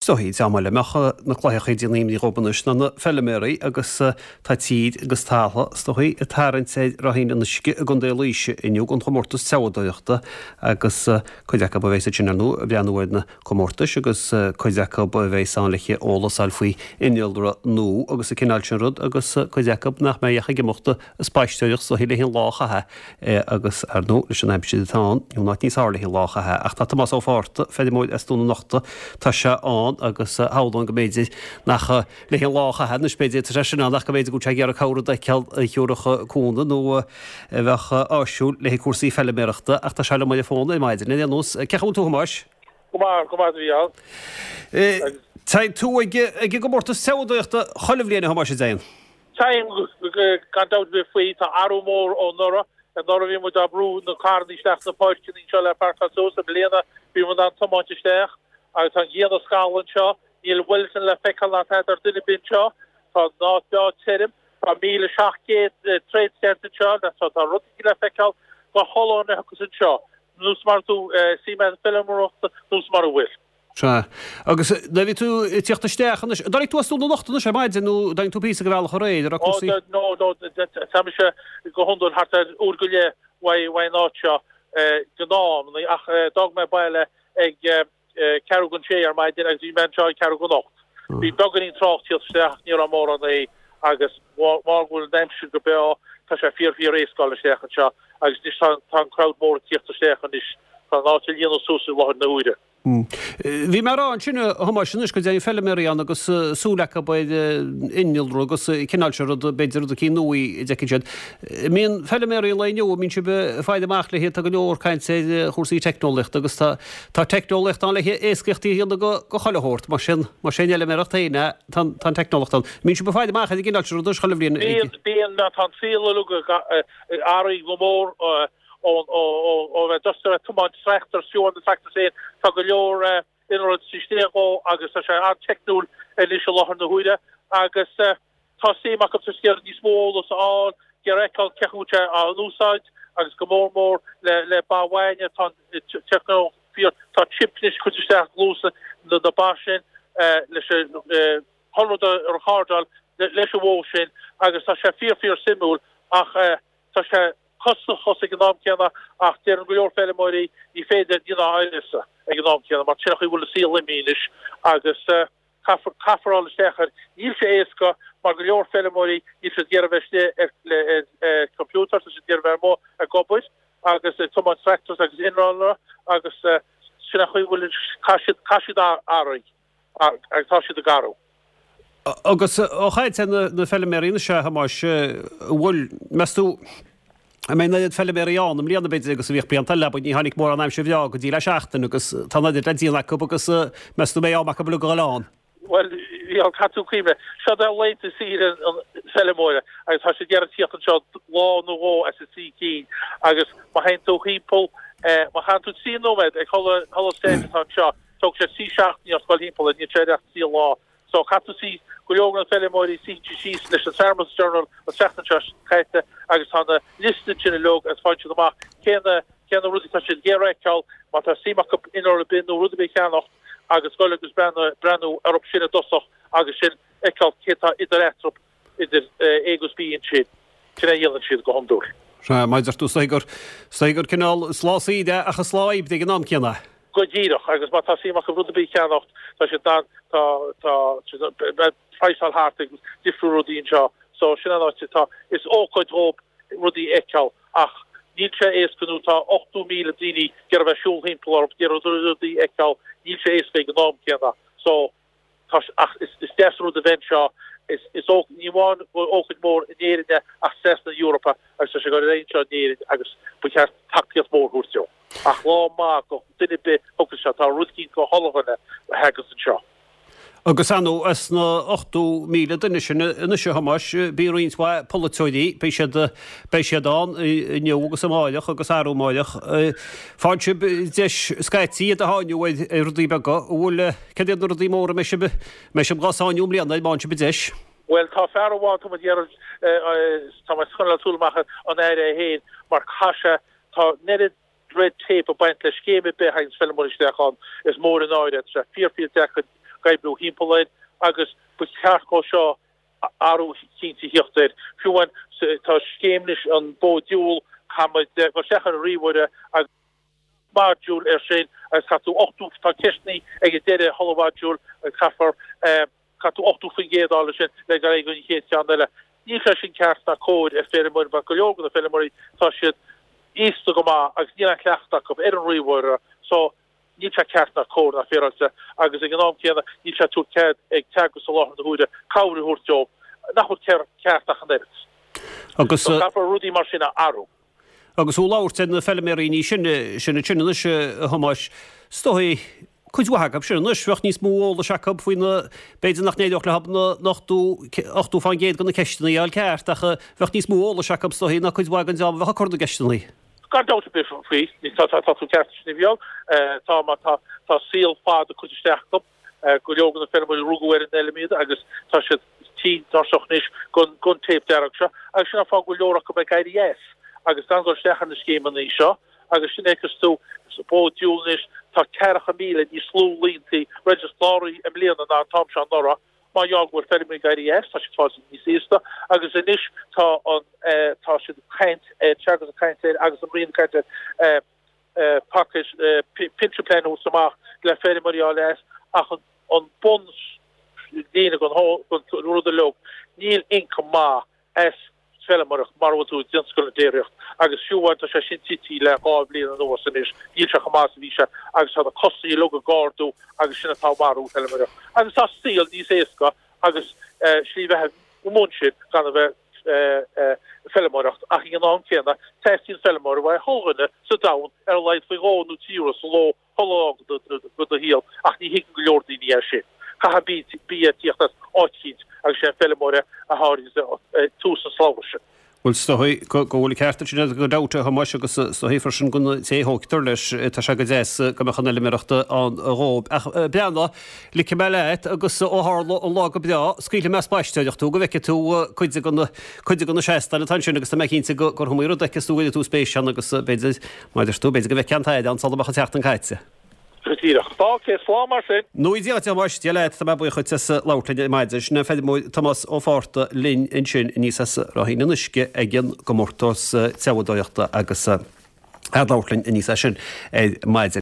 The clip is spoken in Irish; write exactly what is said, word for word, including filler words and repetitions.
Is dóichí dá mba le mbeadh na cloicheacha ag déanamh imní dhóibh anois ná na feiliméaraí agus tá tír agus talamh is dóichí ag tarraingt ar Ráithín an Uisce i gContae Laoise inniu don chomórtas treabhadóireachta agus cuid acu a bheas ansin ar ndóigh ag breathnú ar na comórtais agus cuid acu a bheas ann le eolas a fháil faoi innealra nua agus an cineál sin rud agus cuid acu nach mbeidh ach ag imeacht ag spaisteoireacht is dóichí le an lá a chaitheamh agus ar ndóigh leis an aimsir atá ann níl áit níos fearr le an lá a chaitheamh ach tá Tomás Ó Fátharta, feirmeoir as Dún na Nochta, tá sé ann agus shamhlóinn go mb'fhéidir nach le an lá a chaitheamh anois b'fhéidir tá sé sin ann ach go mb'fhéidir go bhfuil sé ag iarraidh cabhair a fheiceáil a thiúrfadh cúnamh nó a bheadh áisiúil le cúrsaí feiliméarachta ach tá sé liom ar an bhfón ar maidin ar aon nós. Cén chaoi a bhfuil tú a Thomáis? Go maith, go maith a Mhícheáil. Tá tú ag ag an gcomórtas treabhadóireachta chuile bhliain a Thomáis a déan. Táim gan dabht ar bith faoi, tá athrú mór ó anuraidh. Anuraidh bhí muid á brú na carranna isteach sna páirceanna anseo le páirceáil suas. I mbliana bhí muid in ann tiomáint isteach agus tá an ghrian ag scalladh anseo. Níl Wellington le feiceáil ná tada ar duine ar bith anseo. Tá an áit breá tirim. Tá míle seacht gcéad trade stand anseo so tá rudaí le feiceáil do chuile dhuine a thiocfas anseo. Nós mar tú suim agat sa bhfeilméaracht nós mura bhfuil. Sea. Agus nuair a bhí tú ag tíocht isteach anois, an dtáinig tú as Dún na Nochta anois ar maidin nó an dtáinig tú píosa de bhealach aréir, an raibh cúrsaí? Ó, no, no, tá mise go hiondúil thart ar uair go leith uaidh an áit seo gnáth-amannaí ach d'fhág mé baile ag ceathrú don sé ar maidin agus bhí mé anseo ag ceathrú don ocht. Bhí beagáinín trácht tíocht isteach ach ní raibh mórán é agus mar go bhfuil an aimsir go breá tá sé fíor fíor éasca dul isteach anseo agus anois tá tá an crowd mór ag tíocht isteach anois tá an áit ag líonadh suas i láthair na huaire. Bhí mé ag rá ansin a Thomáis anois go dtéann feiliméaraí ann agus súil acu ar innealra agus cineál seo rud, b'fhéidir rud eicínt nua a d'fheicfidh siad. An mbíonn feiliméaraí an lae inniu, an mbíonn sibh ag faire amach le tá go leor caint ar chúrsaí teicneolaíochta agus tá tá teicneolaíocht ann le éascaíocht a dhéanamh go go chuile shórt, mar sin más é an fheilméaracht féin é tá tá an teicneolaíocht ann. An mbíonn sibh ag faire amach ar an gcineál seo rudaí chuile bhliain? Bíonn, bíonn, tá an saol uilig ag athrú go mór. ó bheith just ag tiomáint tractor, fiú an tractor féin, tá go leor innealra istigh dhó agus tá sé an-teicniúil anois i láthair na huaire agus tá suim acu sa scéal níos mó eolas a fháil, ag iarraidh feiceáil cén chaoi a bhfuil sé á n-úsáid agus go mór mór le le ba bhainne tá an teicneolaíocht fíor, tá chip anois curtha isteach i gcluasa na ba sin leis an chuile rud a recordáil leis an bhó sin agus tá sé fíor fíor suimiúil ach tá sé costasach ag an am céanna ach deireann go leor feilméaraí ní féidir ní ná áineasa ag an am céanna mar sin an chaoi a bhfuil an saol imithe anois agus caithfear caithfear dul isteach air. Níl sé éasca mar go leor feilméaraí níl siad ag iarraidh bheith istigh ar le ar computer tá siad ag iarraidh bheith amuigh ag obair agus ag tiomáint tractors agus innealra agus sin an chaoi a bhfuil caithfidh siad caithfidh siad athrú agus tá siad ag athrú. Agus ó chaint ar na feilméaraí anois, a Thomáis, an bhfuil, meas tú, an mbeidh an oiread feilméaraí ann i mbliana, b'fhéidir, agus a bhíodh blianta eile, abair, ní tháinig mórán aimsir bhreá go dtí le seachtain agus tá an oiread le déanamh acu agus meas tú an mbeidh am acu uilig a dhul ann? Bhuel, bhí an cath tú cuimhne. Seo é laethanta saoire an feilméara agus tá siad ag iarraidh tíocht anseo lá nó dhó as a trí cinn agus má théann tú thimpeall, má chaitheann tú trí nóiméad ag chuile stand atá anseo, tógfaidh sé trí seachtainí ort dul thimpeall air, níl sé ach trí lá. So caithfidh tú suí, go leor de na feilméaraí suíonn siad síos leis an Farmers Journal an tseachtain seo caite agus tá na liosta ansin uilig agus faigheann siad amach cé na cé na rudaí atá siad ag iarraidh a fheiceáil, má tá suim acu innealra ar bith nó rud ar bith a cheannacht agus goil agus breathnú breathnú orthu sin i dtosach agus sin fheiceáil cé tá idir eatarthu idir A agus B ansin. Sin é a dhéanann siad go hiondúil. Sea, mar a deir tú, is dóigh gur, is dóigh gur cineál, is lá saoire é ach is lá oibre ag an am céanna é. Go díreach, agus má tá suim acu rud ar bith a cheannacht, tá siad in ann, tá, tá siad in ann praghsáil thart ag difriú rudaí anseo. So sin an áit atá, is ócáid dhóibh rudaí a fheiceáil ach níl sé éasca nó tá ochtó míle daoine ag iarraidh bheith ag siúl thimpeall orthu, ag iarraidh rudaí a fheiceáil, níl sé éasca ag an am céanna. So tá, ach is, is deas an rud a bheith anseo, is, is ó, ní amháin gur ócáid mhór in Éirinn é ach trasna na hEorpa agus tá sé ag dul ar aghaidh anseo in Éirinn agus ba cheart tacaíocht mhór a thabhairt dó. Ach lá maith do dhuine ar bith a thiocfas anseo, tá rud eicínt do chuile dhuine a thagas anseo. Agus ar ndóigh, as na ochtó míle duine sin anois, a Thomáis, bíonn roinnt mhaith polaiteoirí, beidh siad, beidh siad ann inniu agus amáireach agus arú amáireach. Faigheann sibh deis scaití iad a sháinniú ar rudaí beaga. An bhfuil, céard iad na rudaí móra a mbeidh sibh, mbeidh sibh dhá sáinniú i mbliana, má fhaigheann sibh an deis? Bhuel, tá fear amháin, tá muid ag iarraidh, tá mé ag coinneáil súil amach ar an Aire é féin, mar caithfidh sé, tá an oiread red tape ag baint le scéim ar bith a thaganns feilméaraí isteach ann, is mór an náire é, tá sé fíor fíor deacair ag oibriú thimpeall air agus ba cheart dhó seo athrú cinnte a thíocht air. Fiú amháin tá scéim anois an bó diabhal caithfidh muid dul isteach ar an ríomhaire agus modúl air sin agus caithfidh tú ochtó tá ceisteanna ag an deireadh chuile mhodúl agus caithfear caithfidh tú ochtó faoin gcéad a fháil ansin le dul ar aghaidh go an chéad cheann eile. Níl sé sin ceart ná cóir ar feirmeoirí mar go leor de na feirmeoirí tá siad aosta go maith agus níl an cleachtadh acu ar an ríomhaire so níl sé ceart ná cóir ná féaráilte agus ag an am céanna níl sé ag tabhairt cead ag Teagasc i láthair na huaire cabhair a thabhairt dóibh nach bhfuil ceart ach an oiread. Agus So caithfear rudaí mar sin a athrú. Agus tú ag labhairt ar na feilméaraí níos sine sin ansin anois a Thomáis, is dóigh cuid mhaith acu sin anois, bheadh níos mó eolais acu faoi na, b'fhéidir nach n-éireodh leo na ochtó, ochtó fán gcéad de na ceisteanna a fháil ceart ach bheadh níos mó eolais acu is dóigh ná cuid mhaith den dream a bheadh ag cur na gceisteanna. Gan dabht ar bith faoi, tá, tá, tá tú ceart sin a bheag, tá, má tá, tá saol fada curtha isteach acu, go leor de na feirmeoirí rugadh ar an fheilm iad agus tá siad tinn tuirseach anois den, den téip dearg seo agus sin an fáth go bhfuil leor acu ag éirí as agus gan dul isteach ar na scéimeanna seo agus sin fheiceas tú sa bó diabhal anois tá ceathracha míle níos lú líontaí registeráilte i mbliana ná an t-am seo anuraidh mar gheall go bhfuil feirmeoirí ag éirí as, tá siad fáil níos aosta agus anois tá an tá siad ag caint ar Teagasc ag caint air agus an Roinn ag caint ar package pension plan a thabhairt amach le feirmeoirí a fháil as ach an an bun líne den den rud uilig níl income maith as feilméaracht mar a bhfuil tú i dtionscal na déiríocht agus fiú amháin tá sé sin tite le dhá bhliain anuas anois níl sé chomh maith is a bhí sé agus tá na costais uilig ag ardú agus sin atá ag marú feilméaracht agus tá saol níos éasca agus slí bheatha i mbun sin gan a bheith feilméaracht ach ag an am céanna teastaíonn feilméara uaidh chuile dhuine sa domhan ar a laghad faoi dhó nó trí uair sa ló chuile lá de do shaol ach ní thuigeann go leor daoine é sin. Caithfidh bia tíocht as áit eicínt agus sé an feilméara a tháirgeann tús an slabhra sin. Bhuel, is dóigh go bhfuil an ceart agat sin gan dabht, a Thomáis, agus is dóigh freisin don té a thógtar leis, tá sé go deas go mbeadh an fheilméaracht ann dhóibh. Ach breathnaigh, ligfidh mé leat agus ó tharla an lá go breá, scaoilfidh mé as spaisteoireacht tú go bhfeicfidh tú cuid de na cuid de na seastáin atá ansin agus tá mé cinnte gur iomaí rud a fheicfeas tú go gcuirfidh tú spéis ann agus b'fhéidir, mar a deir tú, b'fhéidir go bhfeicfidh an t-aire ann sula mbeadh an tseachtain caite. Go díreach. Tá, ok, slán mar sin. Nó Dia duit, a Thomáis, Dia leat, tá mé buíoch duit as labhairt linn ar maidin. Sin an feirmeoir Tomás Ó Fátharta linn ansin aníos as Ráithín an Uisce ag an gcomórtas treabhadóireachta agus ag labhairt linn aníos as sin ar maidin.